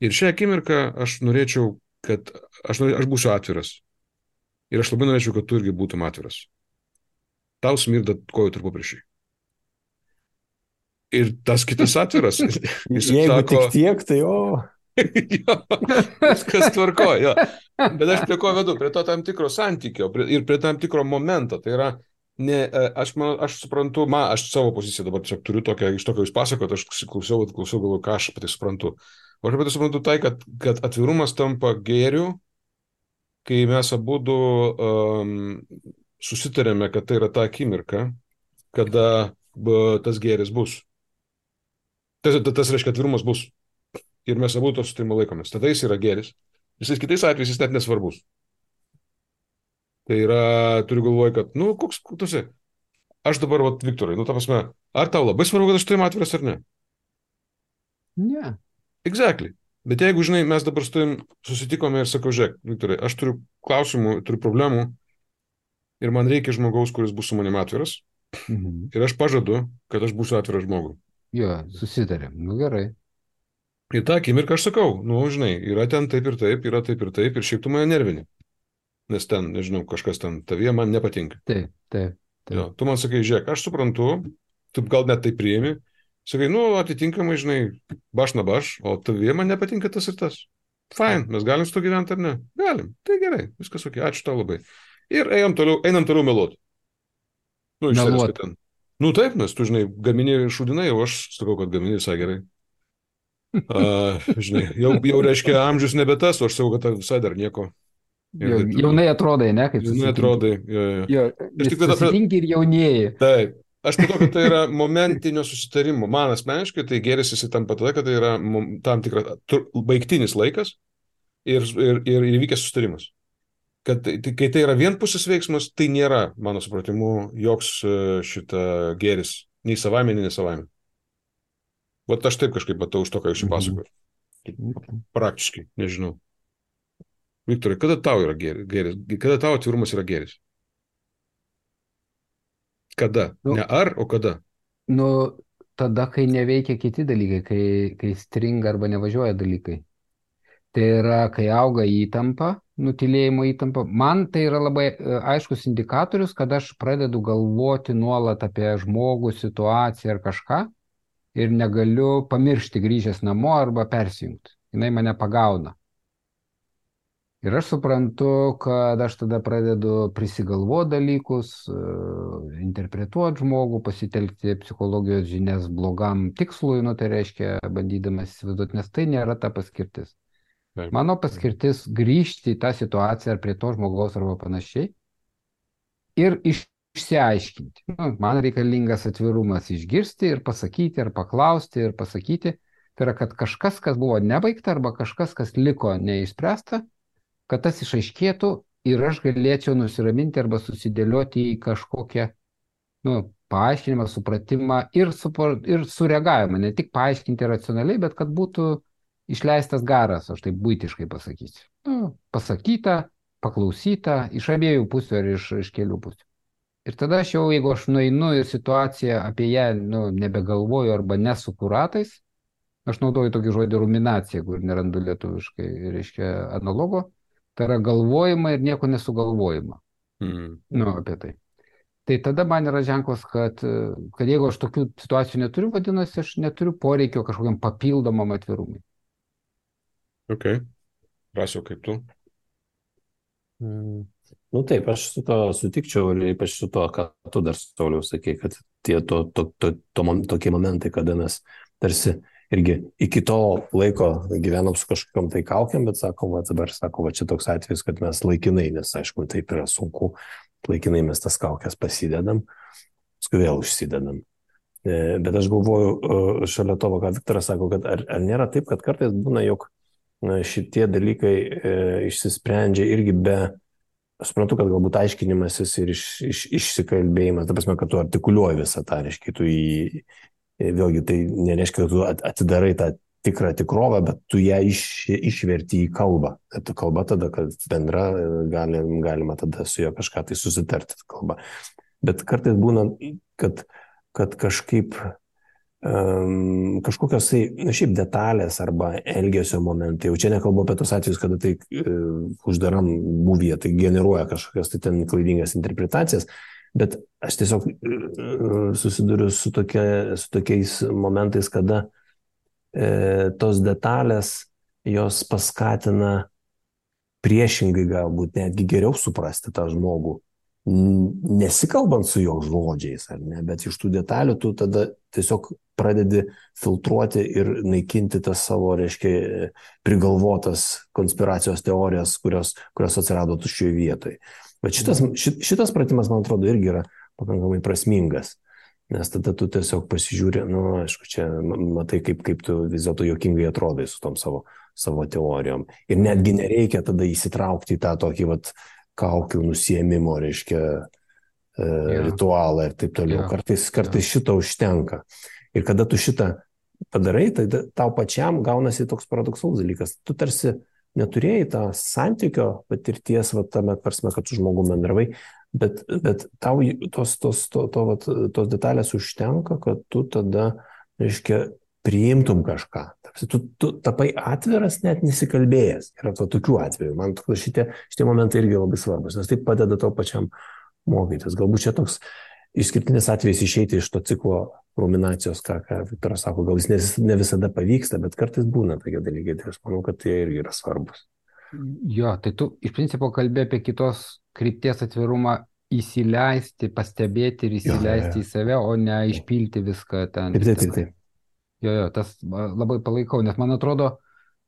Ir šią akimirką aš norėčiau, kad aš būsiu atviras. Ir aš labai norėčiau, kad tu irgi būtum atviras. Tau smirda kojų tarpupriešį. Ir tas kitas atviras. Jeigu tik tiek, tai Jo, viskas tvarkoja. Bet aš prie ko vedu? Prie to tam tikro santykio ir prie tam tikro momento. Tai yra, aš suprantu, aš savo poziciją dabar tiesiog turiu tokią, iš to, ką jūs pasakot, aš klausiau, galvoju, ką aš apie tai suprantu. O aš apie tai suprantu tai, kad atvirumas tampa gėriu, kai mes abudu susitarėme, kad tai yra ta akimirka, kada tas gėris bus. Tas reiškia, atvirumas bus. Ir mes abu to sutarimo laikomės. Tada jis yra gėris. Visais kitais atvejais jis net nesvarbus. Tai yra, turiu galvoje, kad, koks tu esi? Aš dabar, Viktorai, ta prasme, ar tau labai svarbu, kad aš tavim atviras ar ne? Ne. Exactly. Bet jeigu, žinai, mes dabar su tavim susitikome ir sakau, žiūrėk, Viktorai, aš turiu klausimų, turiu problemų ir man reikia žmogaus, kuris bus su manim atviras. Ir aš pažadu, kad aš būsiu atviras žmogui. Jo, susitarėm. Gerai. Ir tą akimirką aš sakau, žinai, yra ten taip ir taip, yra taip ir taip, ir šiaip tu mane nervini. Nes ten, nežinau, kažkas ten tavyje man nepatinka. Taip. Jo, tu man sakai, žiūrėk, aš suprantu, tu gal net tai priimi, sakai, atitinkamai, žinai, baš na baš, o tavyje man nepatinka tas ir tas. Fine, mes galim su to gyventi ar ne? Galim, tai gerai, viskas ok, ačiū tau labai. Ir einam toliau meluoti. Meluot. Taip, nes tu, žinai, gamini šūdinai, o aš sakau, kad gamini visai gerai. Žinai, jau reiškia amžius nebe tas, o aš sakau, kad visai dar nieko. Jaunai atrodai, ne? Jaunai atrodai, jo. Susitinki ir jaunieji. Taip, aš matau, kad tai yra momentinio susitarimo. Man asmeniškai tai gėris jis tampa tada, kad tai yra tam tikras baigtinis laikas ir įvykęs susitarimas. Kad kai tai yra vienpusis veiksmas, tai nėra, mano supratimu, joks šita gėris, nei savaime, nei nesavaime. Vat aš taip kažkaip matau iš to, ką jūs pasakoju. Praktiškai, nežinau. Viktorai, kada tau yra gėris? Kada tau atvirumas yra gėris? Kada? Ne ar, o kada? Tada, kai neveikia kiti dalykai, kai stringa arba nevažiuoja dalykai. Tai yra, kai auga įtampa, nutylėjimo įtampa. Man tai yra labai aiškus indikatorius, kad aš pradedu galvoti nuolat apie žmogų, situaciją ar kažką. Ir negaliu pamiršti grįžęs namo arba persijungti. Jinai mane pagauna. Ir aš suprantu, kad aš tada pradedu prisigalvoti dalykus, interpretuoti žmogų, pasitelkti psichologijos žinias blogam tikslui, tai reiškia bandydamas įsivaizduoti, nes tai nėra ta paskirtis. Mano paskirtis grįžti į tą situaciją ar prie to žmogaus arba panašiai ir išsiaiškinti. Man reikalingas atvirumas išgirsti ir pasakyti, ar paklausti ir pasakyti. Tai yra, kad kažkas, kas buvo nebaigta, arba kažkas, kas liko neišspręsta, kad tas išaiškėtų ir aš galėčiau nusiraminti arba susidėlioti į kažkokią paaiškinimą, supratimą ir sureagavimą. Ne tik paaiškinti racionaliai, bet kad būtų išleistas garas, aš taip buitiškai pasakysiu. Pasakyta, paklausyta iš abiejų pusių ar iš kelių pusių. Ir tada aš jau, jeigu aš nueinu ir situaciją apie ją, nebegalvoju arba nesuku ratais, aš naudoju tokį žodį ruminacija, kur nerandu lietuviškai, reiškia analogo, tai yra galvojimą ir nieko nesugalvojimą. Apie tai. Tai tada man yra ženklas, kad jeigu aš tokių situacijų neturiu, vadinasi, aš neturiu poreikio kažkokiam papildomam atvirumui. Ok. Rasiu, kaip tu? Nu taip, aš su to sutikčiau ir ypač su to, ką tu dar Sauliau sakei, kad tie tokie momentai, kada mes tarsi irgi iki to laiko gyvenom su kažkokiam tai kaukiam, bet sakom, dabar sako, čia toks atvejis, kad mes laikinai, nes aišku, taip yra sunku, laikinai mes tas kaukės pasidedam, paskui vėl užsidedam. Bet aš galvoju, šalia to, ką Viktoras sako, kad ar nėra taip, kad kartais būna, jog šitie dalykai išsisprendžia irgi be, aš suprantu, kad galbūt aiškinimasis ir išsikalbėjimas, ta prasme, kad tu artikuliuoji visą tą, reiškia, vėlgi tai nereiškia, kad tu atidarai tą tikrą tikrovę, bet tu ją išverti į kalbą. Ta kalba tada, kad bendra, galima tada su juo kažką tai susitarti kalbą. Bet kartais būna, kad kažkaip kažkokios šiaip detalės arba elgesio momentai, jau čia nekalbu apie tos atvejus, kada tai uždaram būvyje, tai generuoja kažkokias tai ten klaidingas interpretacijas, bet aš tiesiog susiduriu su tokiais momentais, kada tos detalės jos paskatina priešingai galbūt netgi geriau suprasti tą žmogų, nesikalbant su jo žodžiais, ar ne, bet iš tų detalių tu tada tiesiog pradedi filtruoti ir naikinti tas savo, reiškia, prigalvotas konspiracijos teorijas, kurios atsirado tuščioje vietoje. Bet šitas pratimas, man atrodo, irgi yra pakankamai prasmingas, nes tada tu tiesiog pasižiūri, aišku, čia matai, kaip tu vis dėlto juokingai atrodai su tom savo teorijom. Ir netgi nereikia tada įsitraukti į tą tokį kaukių nusiėmimo, reiškia, ritualą ir taip toliau. Kartais šito užtenka. Ir kada tu šitą padarai, tai tau pačiam gaunasi toks paradoksalus dalykas. Tu tarsi neturėjai tą santykio patirties, tame prasme, kad su žmogum bendravai, bet tau tos detalės užtenka, kad tu tada, reiškia, priimtum kažką. Tu tapai atviras, net nesikalbėjęs. Yra tokių atvejų. Man atrodo, šitie momentai irgi labai svarbus, nes tai padeda to pačiam mokytis. Galbūt čia toks išskirtinis atvejis išeiti iš to ciklo ruminacijos, ką Viktoras sako, gal jis ne visada pavyksta, bet kartais būna tokie dalykai, tai aš manau, kad tai irgi yra svarbus. Jo, tai tu iš principo kalbė apie kitos krypties atvirumą įsileisti, pastebėti ir įsileisti į save, o ne išpilti viską ten. Taip. Jo, tas labai palaikau, nes man atrodo,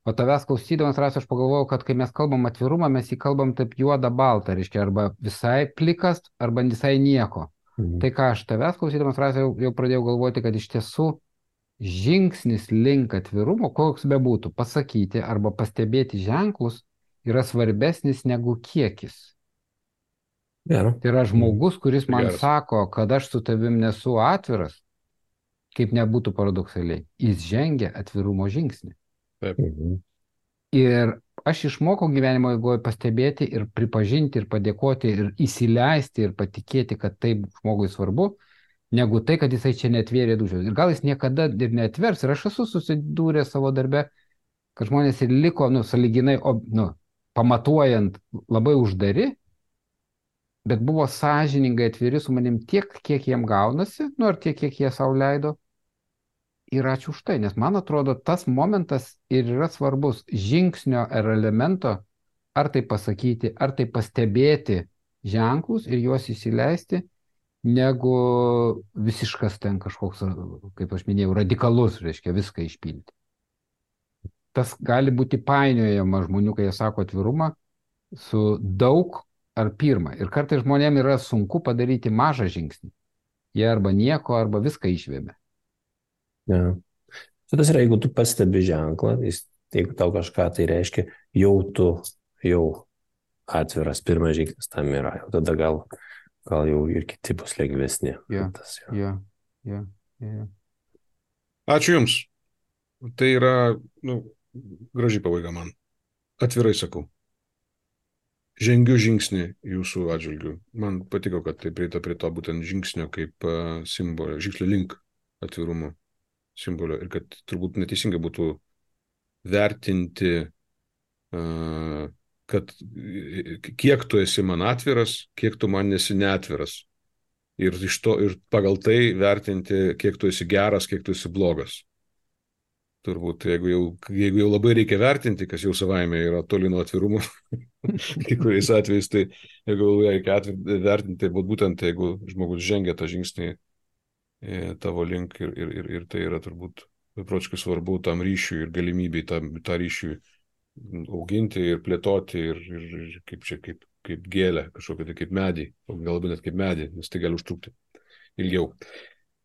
o tavęs klausydamas, Rasiu, aš pagalvojau, kad kai mes kalbam atvirumą, mes jį kalbam taip juoda balta, reiškia, arba visai plikas, arba visai nieko. Tai ką aš tavęs klausydamas, Rasiu, jau pradėjau galvoti, kad iš tiesų žingsnis link atvirumo, koks bebūtų, pasakyti arba pastebėti ženklus, yra svarbesnis negu kiekis. Tai yra žmogus, kuris man sako, kad aš su tavim nesu atviras, kaip nebūtų paradoksaliai, jis žengia atvirumo žingsnį. Taip. Ir aš išmokau gyvenimo eigoje pastebėti ir pripažinti ir padėkoti ir įsileisti ir patikėti, kad taip žmogui svarbu, negu tai, kad jisai čia netvėrė dušios. Ir gal jis niekada ir neatvers. Ir aš esu susidūręs savo darbe, kad žmonės ir liko, sąlyginai, pamatuojant, labai uždari, bet buvo sąžiningai atviri su manim tiek, kiek jiem gaunasi, ar tiek, kiek jie sau leido. Ir ačiū už tai, nes man atrodo, tas momentas ir yra svarbus žingsnio ar elemento, ar tai pasakyti, ar tai pastebėti ženklus ir juos įsileisti, negu visiškas ten kažkoks, kaip aš minėjau, radikalus, reiškia viską išpilti. Tas gali būti painiojama žmonių, kai jie sako atvirumą, su daug ar pirma. Ir kartais žmonėms yra sunku padaryti mažą žingsnį. Jie arba nieko, arba viską išvėmė. Ja. Tas yra, jeigu tu pastebi ženklą, jeigu tau kažką tai reiškia, jau atviras pirmas žingsnis tam yra. Jau tada gal jau ir kiti bus lengvesni. Ja. Ačiū Jums. Tai yra, graži pabaiga man. Atvirai sakau. žengiu žingsnį jūsų atžvilgių. Man patiko, kad tai prieita prie to būtent žingsnio kaip simbolio, žingsnio link atvirumo simbolio ir kad turbūt neteisingai būtų vertinti, kad kiek tu esi man atviras, kiek tu man esi neatviras. Ir pagal tai vertinti, kiek tu esi geras, kiek tu esi blogas. Turbūt, jeigu jau labai reikia vertinti, kas jau savaime yra toli nuo atvirumo, kai kuriais atvejais, tai jeigu reikia vertinti, būtent jeigu žmogus žengia tą žingsnį tavo link ir tai yra turbūt beprotiškai svarbu tam ryšiui ir galimybei tą ryšiui auginti ir plėtoti ir kaip gėlę, kažkokia tai kaip medį, o galbūt net kaip medį, nes tai gali užtrukti ilgiau.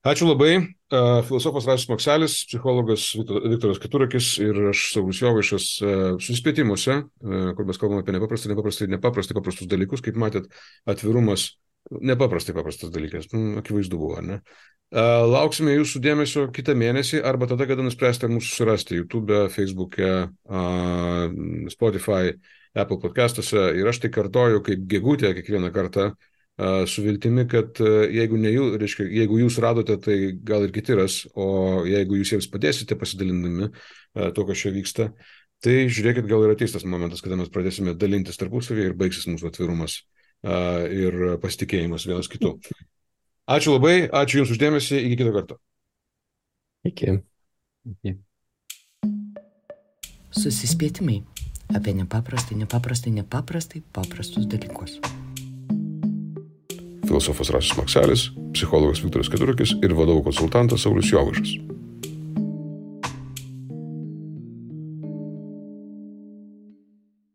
Ačiū labai. Filosofas Rasius Makselis, psichologas Viktoras Keturakis ir aš Saulius Jovaišas susispėtimuose, kur mes kalbame apie nepaprastus dalykus. Kaip matėt, atvirumas nepaprastai paprastas dalykas. Akivaizdu buvo, ne? Lauksime jūsų dėmesio kitą mėnesį arba tada, kada nuspręsite mūsų surasti YouTube, Facebook'e, Spotify, Apple podcastuose. Ir aš tai kartoju kaip gegutė kiekvieną kartą, su viltimi, kad jeigu jūs radote, tai gal ir kiti ras, o jeigu jūs jiems padėsite pasidalindami to, kas čia vyksta, tai žiūrėkit, gal ir ateis tas momentas, kada mes pradėsime dalintis tarpusavį ir baigsis mūsų atvirumas ir pasitikėjimas vienas kitu. Ačiū labai, ačiū Jums uždėmesį, iki kito karto. Iki. Susispėtimai apie nepaprastai paprastus dalykus. Filosofas Rasius Makselis, psichologas Viktoras Keturakis ir vadovų konsultantas Saulius Jovaišas.